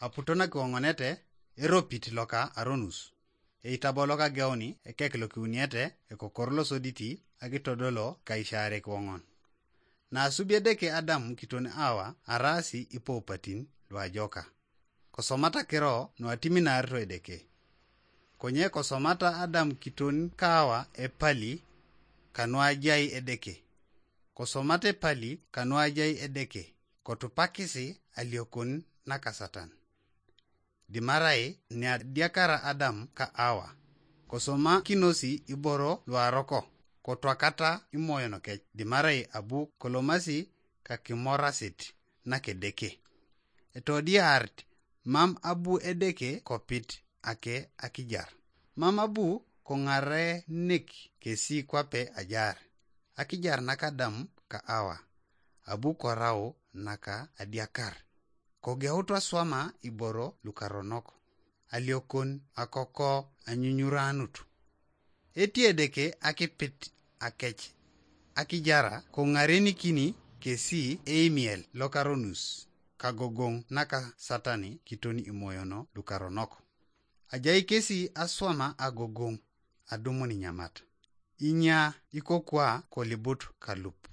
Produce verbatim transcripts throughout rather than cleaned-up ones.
Aputo nakiwoŋonete, eropit loka aronus. Eitabo loka geuni ekek lokiuniete ekokor losoditi akitodolo kaisarek woŋon. Naasubi Edeke Adam kiton Awa araasi ipoupatin luajoka. Kosomata kiro nuatiminarito Edeke. Konye kosomata Adam kiton ka Awa epali kanuajai Edeke. Kosomata epali kanuajai Edeke, kotupakisi aliokon naka Satan. Dimarai niadiakara Adam ka Awa, kosomakinosi iboro luaroko, kotwakata imoyon kec, dimarai abu kolomasi kakimorasit nakedeke. Etodiarit, mam abu Edeke kopit ake akijar. Mam abu koŋarenik kesi kwape ajar. Akijar naka Adam ka Awa, abu korau naka adiakar. Kogeutu aswama iboro lukaronok, aliokon akoko anyunyuranut. Eti Edeke akipit akec akijara koŋarenikini kesi eimiel lokaronus, kagogoŋ naka Satani kiton imoyono lukaronok. Ajai kesi aswama agogoŋ adumun inyamat. Inya ikokwa kolibut kalup.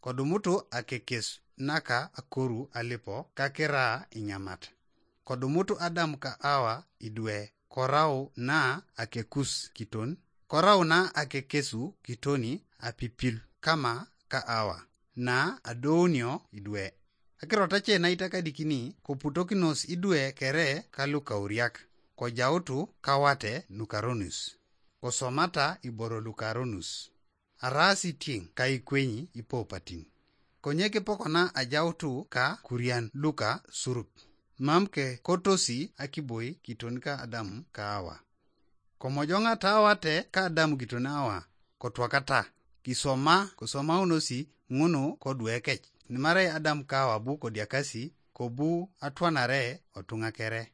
Kodumutu akekes naka akoru alipo kakira inyamat. Kodumutu Adam ka Awa idwe, korau na akekus kiton, korau na akekesu kitoni apipil kama ka Awa, na adounio idwe. Akirot ace naitakadikini koputokinos idwe kere kalukauriak, kojautu kawate nukaronus. Kosomata iboro lukaronus. Araasi tieŋ kaikwenyi ipoupatin. Konye kipokona ajautu ka kurian luka surup. Mam kekotosi akiboi kiton ka Adam ka Awa. Komojoŋata awate ka Adam kiton Awa, kotwakata, kisoma, kosomaunosi ŋunu koduekec. Nimarai Adam ka Awa bu kodiakasi, kobu atwanare otuŋa kere.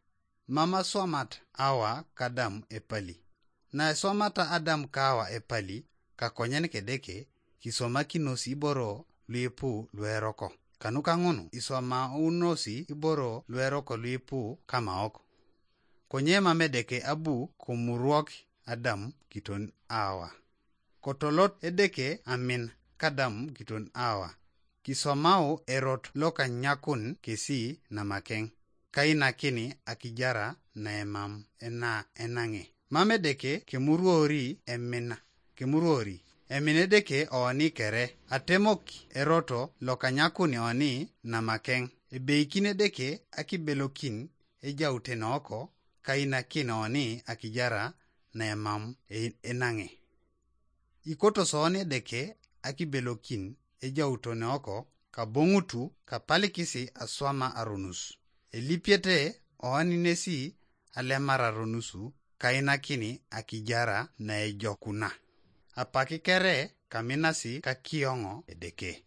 Mam aswamat Awa ka Adam epali. Naeswamata Adam ka Awa epali, kakonyen kedeke, kisomakinos iboro luipu lueroko. Kanuka ŋunu iswamaunosi iboro lueroko luipu kamaok. Konye mam Edeke abu komurwok Adam kiton Awa. Kotolot Edeke amin ka Adam kiton Awa, kisomau erot lokanyakun kesi namakeŋ, kainakini akijara naemam ena enaŋe. Mam Edeke kemuruori emina, kemuruori emin Edeke oni kere, atemok eroto lokanyakun oni namakeŋ. Ebeikin Edeke akibelokin ejautene oko, kainakin oni akijara naemam e-, enaŋe. Ikotos oni Edeke akibelokin ejautene oko, kaboŋutu kapalikisi aswama aronus. Elipiete oni nesi alemar aronusu, kainakini akijara naejokuna. Apaki kere kaminasi kakioŋo Edeke.